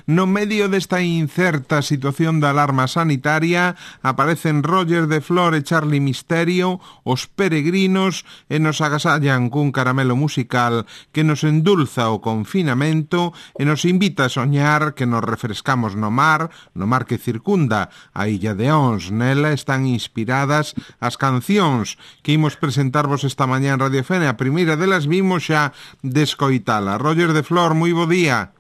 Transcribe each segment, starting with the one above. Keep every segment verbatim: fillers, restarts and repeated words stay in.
No medio desta incerta situación da alarma sanitaria aparecen Roger de Flor e Charlie Misterio, os peregrinos, e nos agasallan cun caramelo musical que nos endulza o confinamento e nos invita a soñar que nos refrescamos no mar, no mar que circunda a Illa de Ons. Nela están inspiradas as cancións que imos presentarvos esta mañá en Radio Fene. A primeira delas vimos xa descoitala. Roger de Flor, moi bo día.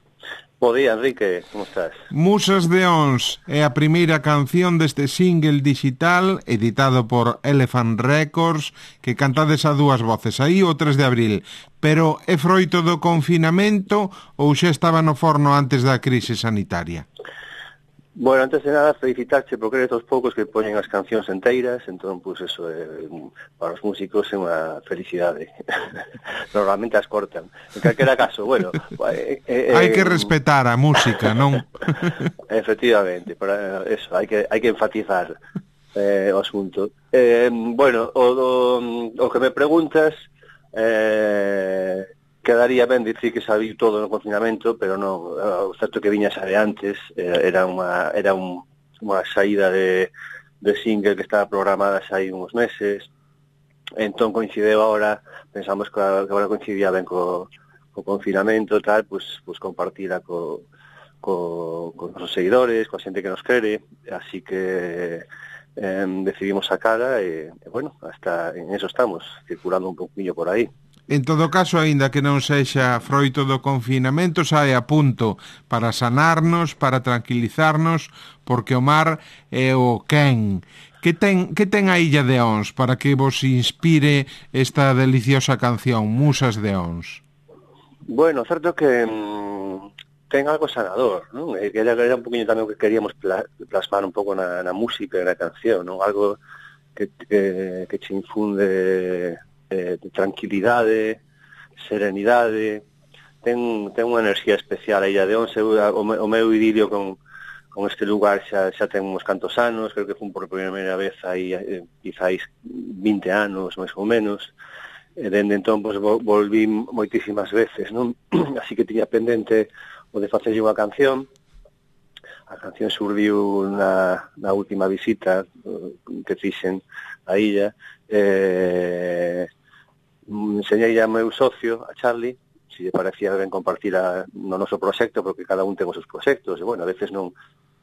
Bo día, Enrique, como estás? Musas de Ons é a primeira canción deste single digital editado por Elephant Records que cantades a dúas voces aí o tres de abril. Pero é froito do confinamento ou xa estaba no forno antes da crise sanitaria? Bueno, antes de nada, felicitarte porque eres dos poucos que poñen as cancións enteiras, entón, pois, pues, eso, é, para os músicos é unha felicidade. Normalmente as cortan. En calquera caso, bueno... Eh, eh, hai que respetar a música, non? Efectivamente, para eso, hai que, hai que enfatizar eh, o asunto. Eh, bueno, o, o, o que me preguntas... Eh, quedaría ben dicir que sabiu todo no confinamento, pero non, o certo que viña xa de antes, era unha era un, unha saída de, de single que estaba programada xa hai uns meses, entón coincideu agora, pensamos que agora coincidía ben co, co confinamento, tal, pues, pues compartila co, co, con os seguidores, coa xente que nos quere, así que eh, decidimos sacara e, e, bueno, hasta en eso estamos, circulando un poquinho por aí. En todo caso, aínda que non sexa froito do confinamento, sae a punto para sanarnos, para tranquilizarnos, porque o mar é o quen. Que ten, que ten a Illa de Ons para que vos inspire esta deliciosa canción, Musas de Ons? Bueno, certo que mmm, ten algo sanador, non? Que era, era un poquinho tamén o que queríamos plasmar un pouco na, na música e na canción, non? Algo que, que, que che infunde... Eh, de tranquilidade, serenidade, ten, ten unha enerxía especial a Illa de Ons. O, o meu idilio con, con este lugar xa, xa ten uns cantos anos, creo que fun por primeira vez aí, eh, quizáis vinte anos, máis ou menos, e dende entón pues, volví moitísimas veces, non? Así que tiña pendente o de facerlle unha canción. A canción surdiu na, na última visita que fixen a illa. Eh, enseñei a meu socio, a Charlie, se lle parecía ben compartir a, no noso proxecto, porque cada un ten os seus proxectos, e, bueno, a veces non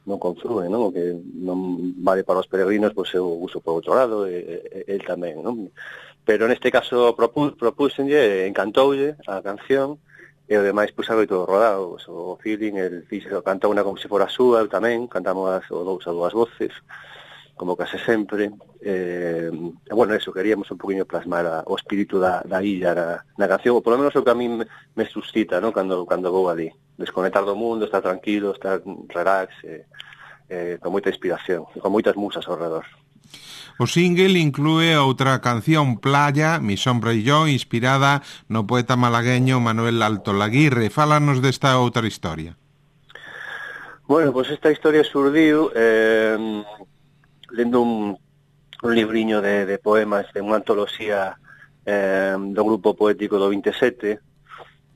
non confluen, non? O que non vale para os peregrinos, pois eu uso por outro lado, e, e el tamén, non? Pero neste caso propu, propúxenlle, encantoulle a canción, e o demais, pois, algo todo rodado, o feeling, el fixo, canta unha como se fora súa, eu tamén, cantamos as, o dous a dúas voces, como case sempre, eh, e, bueno, eso, queríamos un poquinho plasmar a, o espírito da, da illa na, na canción, ou polo menos o que a mí me, me suscita, ¿no? Cando, cando vou ali, desconectar do mundo, estar tranquilo, estar relax, eh, eh, con moita inspiración, con moitas musas ao redor. O single inclúe outra canción, Playa, Mi sombra e yo, inspirada no poeta malagueño Manuel Alto Laguirre. Fálanos desta outra historia. Bueno, pois pues esta historia surdiu eh, lendo un, un libriño de, de poemas de unha antoloxía eh, do grupo poético do vinte e sete.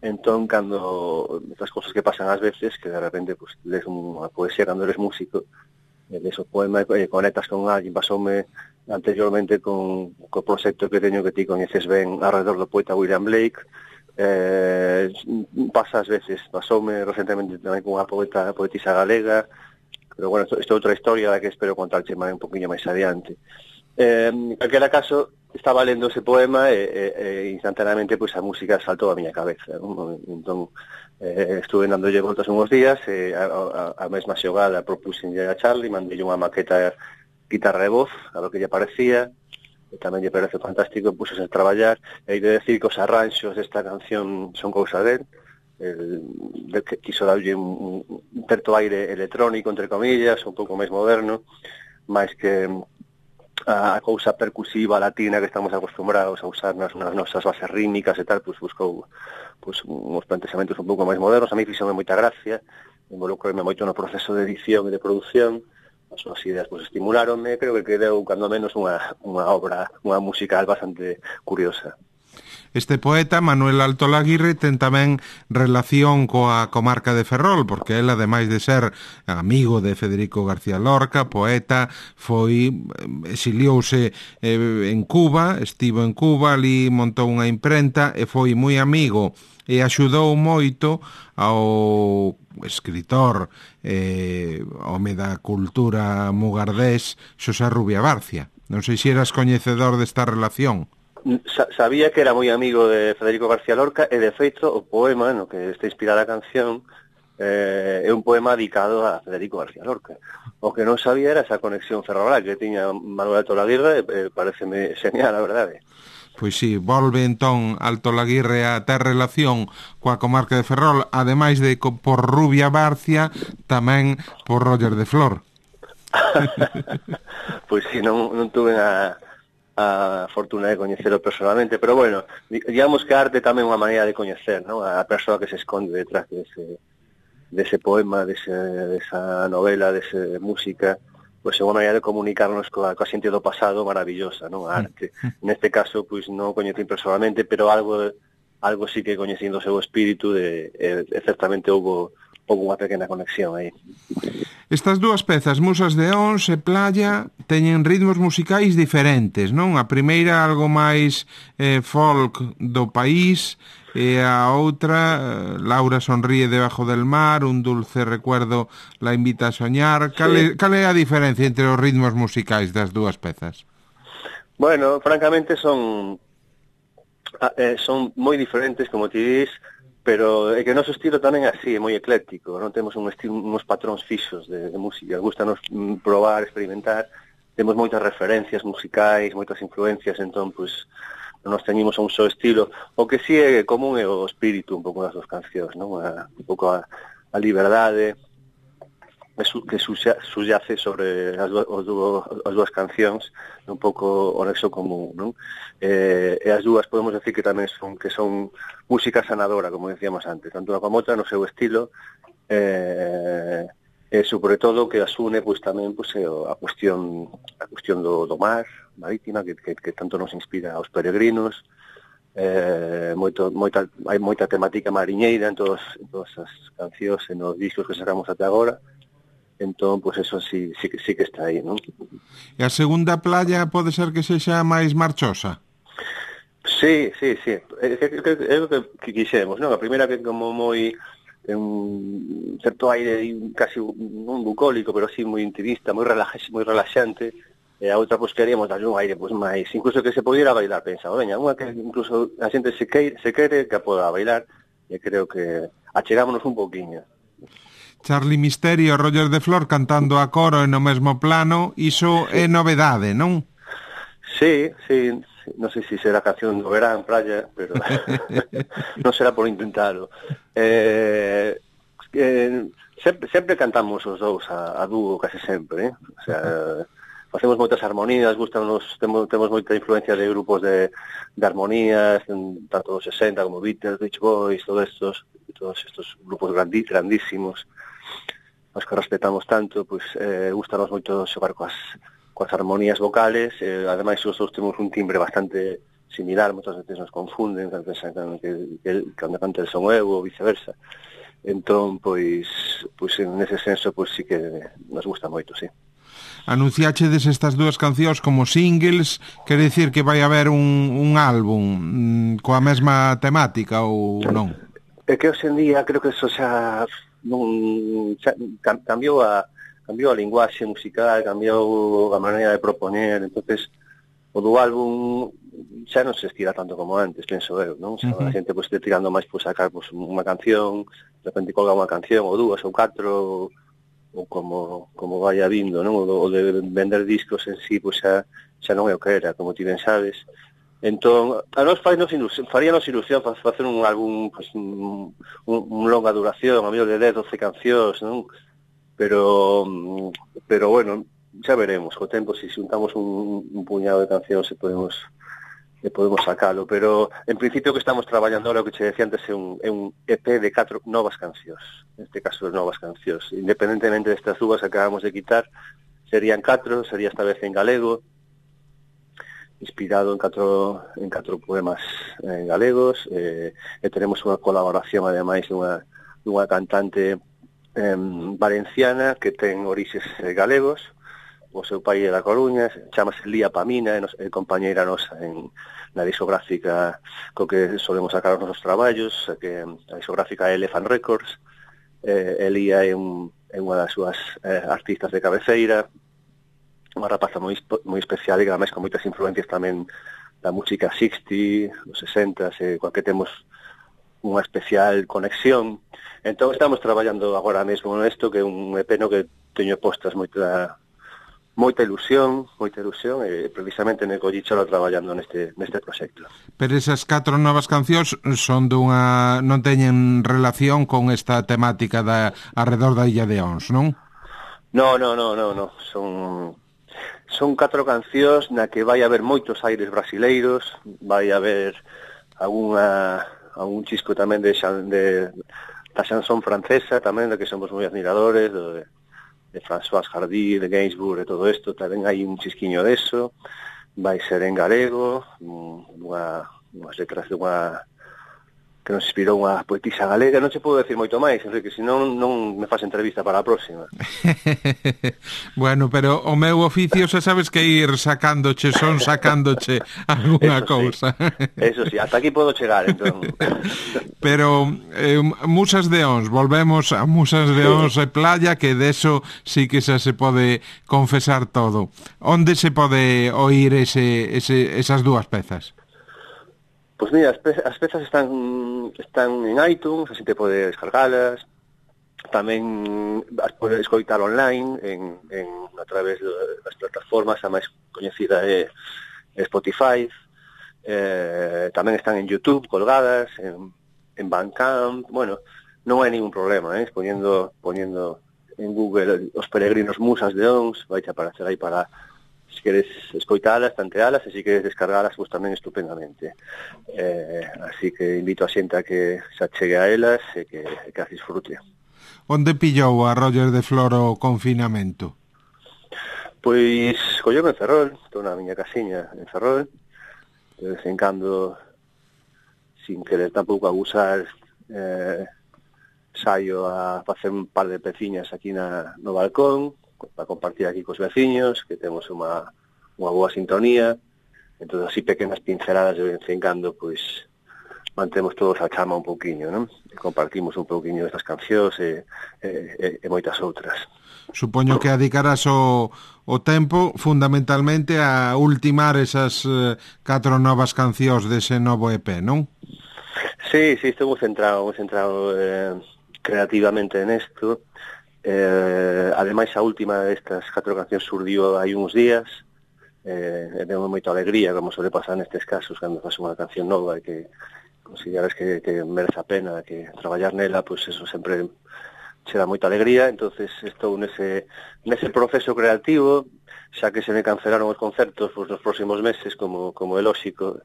Entón, cando estas cosas que pasan ás veces, que de repente pues, lees unha poesía cando eres músico, de esos poemas e conectas con alguén, pasoume anteriormente con co proxecto que teño que ti coñeces ben alrededor do poeta William Blake. Eh, pasa ás veces, pasoume recentemente tamén con unha poeta, poetisa galega, pero bueno, isto é outra historia da que espero contarche máis un poquinho máis adiante. Eh, en calquera caso, estaba lendo ese poema e, e, e instantaneamente pois, a música saltou a miña cabeza, non? Entón, eh, estuve dándolle voltas unhos días e a, a, a mesma xogada propuxenlle a Charlie, mandei unha maqueta guitarra e voz, a ver que lle parecía, e tamén lle parece fantástico, puxose a traballar, e hai de decir que os arranxos desta canción son cousa del, el, de que quiso darlle un, un certo aire electrónico, entre comillas, un pouco máis moderno, máis que a, a cousa percusiva latina que estamos acostumbrados a usar nas, nas nosas bases rítmicas e tal, pois buscou pois, uns plantexamentos un pouco máis modernos. A mí fixome moita gracia, involucrome moito no proceso de edición e de produción, as súas ideas pois, estimuláronme, creo que quedou, cando menos, unha, unha obra, unha musical bastante curiosa. Este poeta, Manuel Alto Laguirre, ten tamén relación coa comarca de Ferrol, porque él, ademais de ser amigo de Federico García Lorca, poeta, foi, exiliouse eh, en Cuba, estivo en Cuba, ali montou unha imprenta e foi moi amigo e axudou moito ao escritor eh, home da cultura mugardés Xosé Rubia Barcia. Non sei se eras coñecedor desta relación. Sabía que era moi amigo de Federico García Lorca e, de feito, o poema no que está inspirada a canción eh, é un poema dedicado a Federico García Lorca. O que non sabía era esa conexión ferroviaria que tiña Manuel Alto Laguirre, eh, pareceme genial, a verdade. Pois sí, volve entón Alto Laguirre a ter relación coa comarca de Ferrol, ademais de por Rubia Barcia, tamén por Roger de Flor. Pois sí, non, non tuve a... a fortuna de coñecelo personalmente, pero bueno, digamos que a arte tamén é unha maneira de coñecer, ¿no? A persoa que se esconde detrás dese, dese poema, dese, desa novela, desa música, pois é unha maneira de comunicarnos coa, coa xente do pasado maravillosa, non? A arte. Neste caso, pois non o coñecín personalmente, pero algo algo sí que coñecín do seu espírito de, e, e certamente houve houve unha pequena conexión aí. Estas dúas pezas, Musas de Ons e Playa, teñen ritmos musicais diferentes, non? A primeira algo máis eh, folk do país, e a outra, Laura sonríe debajo del mar, un dulce recuerdo la invita a soñar. Cal é, cal é a diferencia entre os ritmos musicais das dúas pezas? Bueno, francamente son eh, son moi diferentes, como ti dis, pero é que o noso estilo tamén é así, é moi ecléctico, non temos un estilo, uns patróns fixos de, de música, gustanos probar, experimentar, temos moitas referencias musicais, moitas influencias, entón, pois, non nos teñimos a un só estilo. O que sí é común é o espírito un pouco das dos cancións, non? A, un pouco a, a liberdade que subyace sobre as, do, as, do, as dúas cancións, un pouco o nexo común, non? Eh, e as dúas podemos decir que tamén son que son música sanadora, como decíamos antes, tanto unha como outra no seu estilo, eh, e sobre todo que as une pois tamén pois, a cuestión a cuestión do, do mar, marítima, que, que, que tanto nos inspira aos peregrinos, eh, moito, moita, hai moita temática mariñeira en, todos, en todas as cancións e nos discos que sacamos até agora. Entón, pois eso sí, sí, sí que está aí, non? E a segunda Playa pode ser que sexa máis marchosa? Sí, sí, sí. É o que, que quixemos, non? A primeira que como moi un certo aire casi un bucólico, pero sí moi intimista, moi relaxante, moi relaxante. E a outra, pois, queríamos darlle un aire, pois, máis, incluso que se pudiera bailar, pensaba, veña, unha que incluso a xente se queire, se quere que a poda bailar, e creo que achegámonos un pouquiño. Charly Misterio e Roger de Flor cantando a coro no mesmo plano, iso sí. É novedade, non? Sí, sí, non sei se será canción do verán, Playa, pero non será por intentalo. Eh, eh, sempre, sempre cantamos os dous a, a dúo, case sempre, eh? O sea, facemos moitas armonías, gustanos, temos, temos moita influencia de grupos de, de armonías, tanto dos sesenta como Beatles, Beach Boys, todos estos, todos estos grupos grandí, grandísimos, os que respetamos tanto, pois eh, gustanos moito xogar coas, coas armonías vocales, eh, ademais os dous temos un timbre bastante similar, moitas veces nos confunden, que, que, que, cando canta el son eu ou viceversa. Entón, pois, pois nese senso, pois sí que nos gusta moito, sí. Anunciáchedes estas dúas cancións como singles, quere dicir que vai haber un, un álbum coa mesma temática ou non? É que hoxe en día creo que eso xa non xa, cambiou a cambiou a linguaxe musical, cambiou a maneira de propoñer, entonces o do álbum xa non se estira tanto como antes, penso eu, non? Xa, uh-huh. A xente pois, pues, tirando máis por sacar pois, pues, unha canción, de repente colga unha canción ou dúas ou catro, ou como como vai vindo, non? O de vender discos en sí, pois xa, xa non é o que era, como ti ben sabes. Entón, a nos faríanos ilusión, faríanos ilusión facer un álbum, pues, un, un longa duración, a mellor de dez, doce cancións, non? Pero, pero bueno, xa veremos, co tempo, se si xuntamos un, un puñado de cancións se podemos e podemos sacalo, pero en principio que estamos traballando ahora, o que che decía antes, é un, é un E P de catro novas cancións, neste caso de novas cancións, independentemente destas dúas que acabamos de quitar, serían catro, sería esta vez en galego, inspirado en catro, en catro poemas eh, galegos, eh, e tenemos unha colaboración, ademais, dunha, dunha cantante eh, valenciana que ten orixes eh, galegos. O seu pai é da Coruña, chamase Lía Pamina, e, nos, e compañeira nosa en, na discográfica co que solemos sacar os nosos traballos, que a discográfica é Elephant Records. eh, Elía é, un, é unha das súas eh, artistas de cabeceira, unha rapaza moi, moi especial e ademais con moitas influencias tamén da música sixty, dos sesenta, e coa que temos unha especial conexión. Entón estamos traballando agora mesmo nesto, que é un E P no que teño postas moita moita ilusión, moita ilusión, e precisamente me collicholo traballando neste neste proxecto. Pero esas catro novas cancións son dunha non teñen relación con esta temática da arredor da Illa de Ons, non? No, no, no, no, no, son son catro cancións na que vai haber moitos aires brasileiros, vai haber algunha algún chisco tamén de, xan, de da chanson francesa tamén, da que somos moi admiradores, do, de de François Hardy, de Gainsbourg e todo isto, tamén hai un chisquiño deso, vai ser en galego, unha, unhas letras de unha que nos inspirou unha poetisa galega. Non se pode decir moito máis, Enrique, senón non me faz entrevista para a próxima. Bueno, pero o meu oficio xa sabes que ir sacándoche, son sacándoche algunha cousa. Sí. Eso sí, hasta aquí podo chegar, entón. Pero eh, Musas de Ons, volvemos a Musas de Ons e Playa, que deso sí que xa se pode confesar todo. Onde se pode oír ese, ese, esas dúas pezas? Pois mira, as, pe as pezas están están en iTunes, así te pode descargalas. Tamén as pode escoitar online en, en a través das plataformas, a máis coñecida é Spotify. Eh, tamén están en YouTube colgadas, en, en Bandcamp. Bueno, non hai ningún problema, eh? Poniendo, poniendo en Google Os Peregrinos Musas de Ons, vai te aparecer aí para, se queres escoitalas, tantealas, e se queres descargalas, pues tamén estupendamente. Eh, así que invito a xente a que se achegue a elas e que, que as disfrute. Onde pillou a Roger de Flor o confinamento? Pois colleu en Ferrol, estou na miña casiña en Ferrol, de vez en cando, sin querer tampouco abusar, eh, saio a facer un par de peciñas aquí na, no balcón, para compartir aquí cos veciños, que temos unha, unha boa sintonía. Entón, así pequenas pinceladas de vez en cando, pois, mantemos todos a chama un pouquiño, non? E compartimos un pouquiño destas cancións e, e, e moitas outras. Supoño que dedicarás o, o tempo fundamentalmente a ultimar esas eh, catro novas cancións dese novo E P, non? Sí, sí, estou moi centrado, moi centrado eh, creativamente nesto. Eh, ademais, a última destas catro cancións surdiu hai uns días, eh, e deu moita alegría, como suele pasar nestes casos, cando faz unha canción nova e que consideras que, que merece a pena que traballar nela, pois pues eso sempre che dá moita alegría. Entonces estou nese, nese proceso creativo, xa que se me cancelaron os concertos pois, nos próximos meses, como, como é lóxico,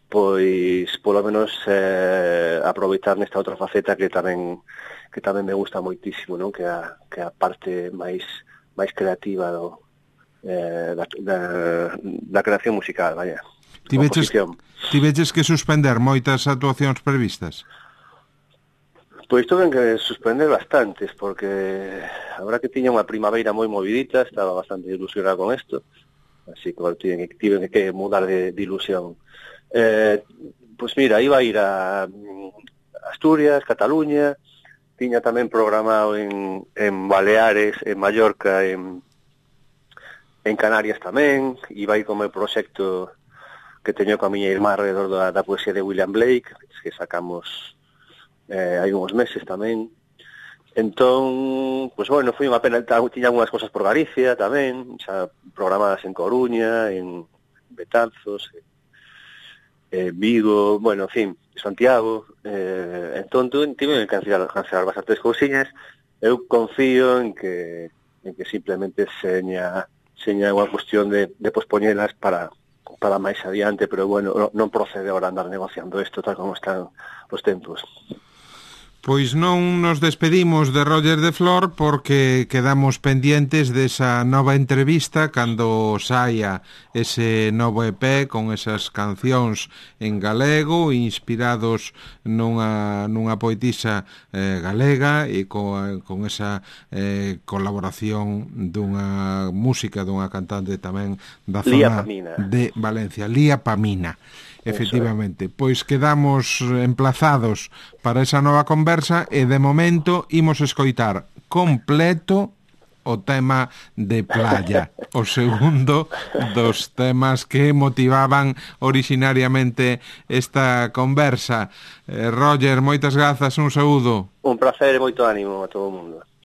pois polo menos eh, aproveitar nesta outra faceta que tamén que tamén me gusta moitísimo, non? Que a, que a parte máis máis creativa do, eh, da, da, da creación musical, vaya. Ti veches, ti veches que suspender moitas actuacións previstas? Pois tuve que suspender bastantes, porque agora que tiña unha primavera moi movidita, estaba bastante ilusionado con isto, así que bueno, tive, tive que mudar de, de ilusión. Eh, pois mira, iba a ir a Asturias, Cataluña, tiña tamén programado en, en Baleares, en Mallorca, en, en Canarias tamén, iba a ir como proxecto que teño coa miña irmá alrededor da, da poesía de William Blake, que sacamos eh, hai uns meses tamén. Entón, pois bueno, foi unha pena, tiña algunhas cosas por Galicia tamén, xa programadas en Coruña, en Betanzos, eh, Vigo, bueno, en fin, Santiago, eh, entón tive que cancelar, cancelar bastantes cousiñas. Eu confío en que en que simplemente seña seña unha cuestión de, de pospoñelas para para máis adiante, pero bueno, non procede ahora andar negociando isto tal como están os tempos. Pois non nos despedimos de Roger de Flor porque quedamos pendientes desa nova entrevista cando saia ese novo E P con esas cancións en galego inspirados nunha, nunha poetisa eh, galega e co, con esa eh, colaboración dunha música dunha cantante tamén da zona de Valencia, Lía Pamina. Efectivamente, pois quedamos emplazados para esa nova conversa e de momento imos escoitar completo o tema de Playa, o segundo dos temas que motivaban originariamente esta conversa. Eh, Roger, moitas grazas, un saúdo. Un placer e moito ánimo a todo o mundo.